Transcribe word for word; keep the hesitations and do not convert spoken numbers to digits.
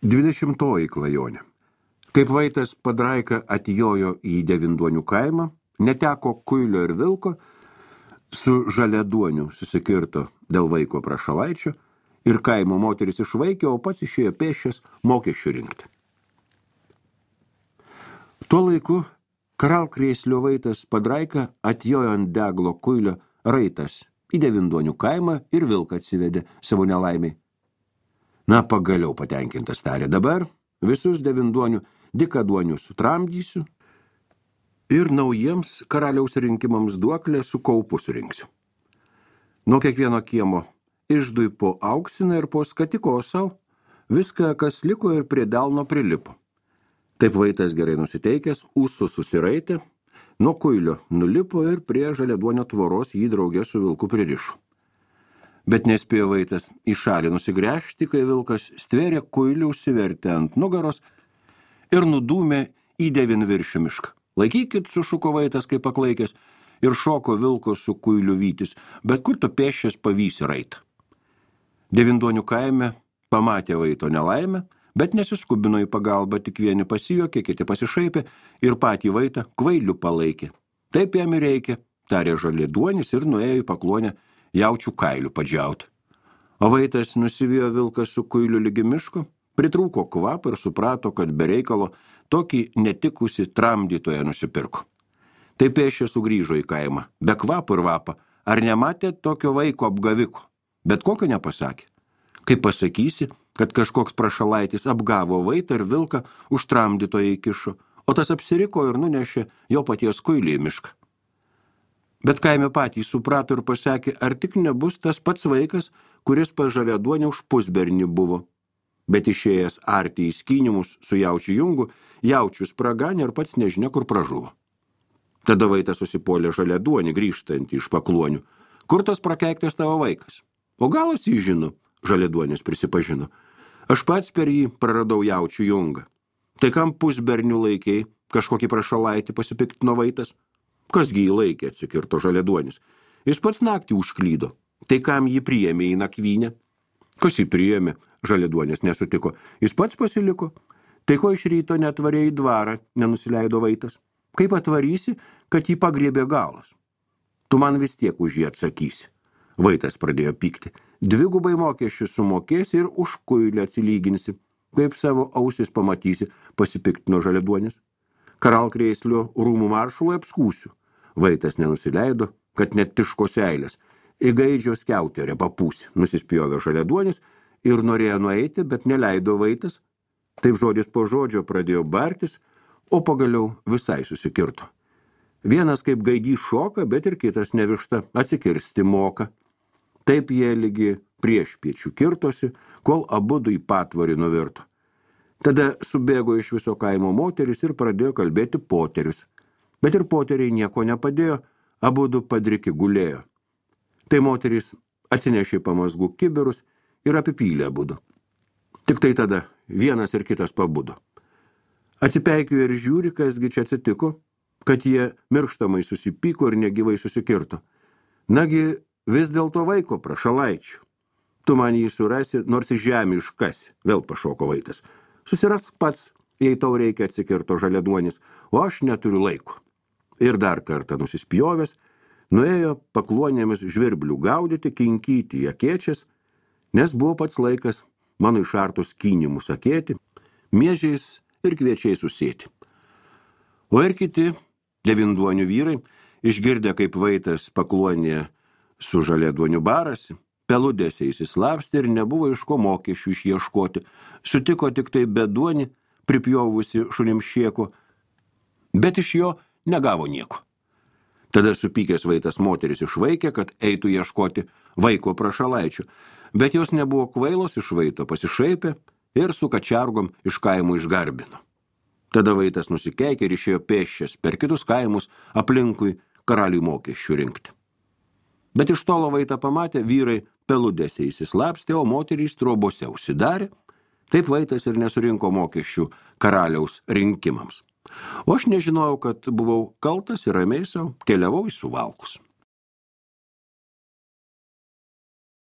Dvidešimtoji klajonė. Kaip Vaitas Padraika atjojo į Devinduonių kaimą, neteko kuilio ir vilko, su Žaliaduoniu susikirto dėl vaiko prašalaičio ir kaimo moteris išvaikė, o pats išėjo pėsčias mokesčių rinkti. Tuo laiku Karalkrėslio Vaitas Padraika atjojo ant deglo kuilio raitas į Devinduonių kaimą ir vilką atsivedė savo nelaimiai. Na, pagaliau patenkintas tarė, dabar visus Devinduonių dykaduonių sutramdysiu ir naujiems karaliaus rinkimams duoklę su kaupu surinksiu. Nuo kiekvieno kiemo išdui po auksiną ir po skatiko sau, viską, kas liko ir prie delno prilipo. Taip Vaitas gerai nusiteikęs, ūsų susiraitė, nuo kuilio nulipo ir prie Žaliaduonio tvoros jį draugė su vilku pririšo. Bet nespėjo Vaitas į šalį nusigręžti, kai vilkas stvėrė kuilį, užsivertė ant nugaros ir nudūmė į Devinviršių mišką. Laikykit, sušuko Vaitas kaip paklaikęs ir šoko vilko su kuiliu vytis, bet kur tu pėsčias pavysi raitą. Devinduonių kaime pamatė Vaito nelaimę, bet nesiskubino į pagalbą, tik vieni pasijokė, kiti pasišaipė ir patį Vaitą kvailiu palaikė. Taip jam ir reikia, tarė Žaliaduonis ir nuėjo į Pakluonę jaučių kailių padžiauti. O Vaitas nusivijo vilką su kuiliu lygi miško, pritrūko kvapą ir suprato, kad be reikalo tokį netikusi tramdytoją nusipirko. Taip pėsčia sugrįžo į kaimą, be kvapo ir vapą. Ar nematė tokio vaiko apgaviko? Bet kokio nepasakė. Kaip pasakysi, kad kažkoks prašalaitis apgavo Vaitą ir vilką už tramdytoją įkišo, o tas apsiriko ir nunešė jo paties kuilį į mišką. Bet kaime patys suprato ir pasakė, ar tik nebus tas pats vaikas, kuris pas Žaliaduonį už pusbernį buvo. Bet išėjęs arti į skynimus su jaučiu jungu, jaučius praganė ir pats nežinia, kur pražuvo. Tada Vaitas susipuolė Žaliaduonį grįžtantį iš Pakluonių. Kur tas prakeiktas tavo vaikas? O galas jį žino, Žaliaduonis prisipažino. Aš pats per jį praradau jaučių jungą. Tai kam pusbernių laikiai, kažkokį prašalaitį pasipiktino Vaitas? Kasgi jį laikė, atsikirto Žaliaduonis. Jis pats naktį užklydo. Tai kam jį priėmė į nakvynę? Kas jį priėmė? Žaliaduonis nesutiko. Jis pats pasiliko. Tai ko iš ryto netvarė į dvarą, nenusileido Vaitas. Kaip atvarysi, kad jį pagriebė galas? Tu man vis tiek už jį atsakysi. Vaitas pradėjo pykti. Dvigubai mokesčius sumokėsi ir už kuilį atsilyginsi. Kaip savo ausis pamatysi, pasipiktino Žaliaduonis. Karalkrėslio rūmų maršalui apskūsiu. Vaitas nenusileido, kad net tiško seilės. Į gaidžio skiauterę papūsi, nusispjovė Žaliaduonis ir norėjo nueiti, bet neleido Vaitas. Taip žodis po žodžio pradėjo bartis, o pagaliau visai susikirto. Vienas kaip gaidys šoka, bet ir kitas nevišta atsikirsti moka. Taip jie lygi priešpiečių kirtosi, kol abudu į patvorį nuvirto. Tada subėgo iš viso kaimo moteris ir pradėjo kalbėti poterius. Bet ir poteriai nieko nepadėjo, abudu padriki gulėjo. Tai moteris atsinešė pamazgų kibirus ir apipylė abudu. Tik tai tada vienas ir kitas pabudo. Atsipeikėjo ir žiūri, kasgi čia atsitiko, kad jie mirštamai susipyko ir negyvai susikirto. Nagi vis dėlto vaiko prašalaičių. Tu man jį surasi, nors į žemę iškasi, vėl pašoko Vaitas. Susirask pats, jei tau reikia, atsikirto Žaliaduonis, o aš neturiu laiko. Ir dar kartą nusispjovęs, nuėjo Pakluonėmis žvirblių gaudyti, kinkyti jakėčias, nes buvo pats laikas mano išartus kynimus sakėti, miežiais ir kviečiais susėti. O ir kiti Devinduonių vyrai, išgirdę kaip Vaitas Pakluonėje su Žaliaduoniu barasi, peludėse įsislapstė ir nebuvo iš ko mokesčių išieškoti. Sutiko tik tai beduonį, pripjovusi šunimšieko, bet iš jo negavo nieko. Tada supykęs Vaitas moteris išvaikė, kad eitų ieškoti vaiko prašalaičių, bet jos nebuvo kvailos, iš Vaito pasišaipė ir su kačiargom iš kaimų išgarbino. Tada Vaitas nusikeikė ir išėjo pėsčias per kitus kaimus aplinkui karaliui mokesčių rinkti. Bet iš tolo Vaitą pamatė, vyrai peludėse įsislapstė, o moterys trobose užsidarė. Taip Vaitas ir nesurinko mokesčių karaliaus rinkimams. O aš nežinojau, kad buvau kaltas ir ramiai sau keliavau į Suvalkus.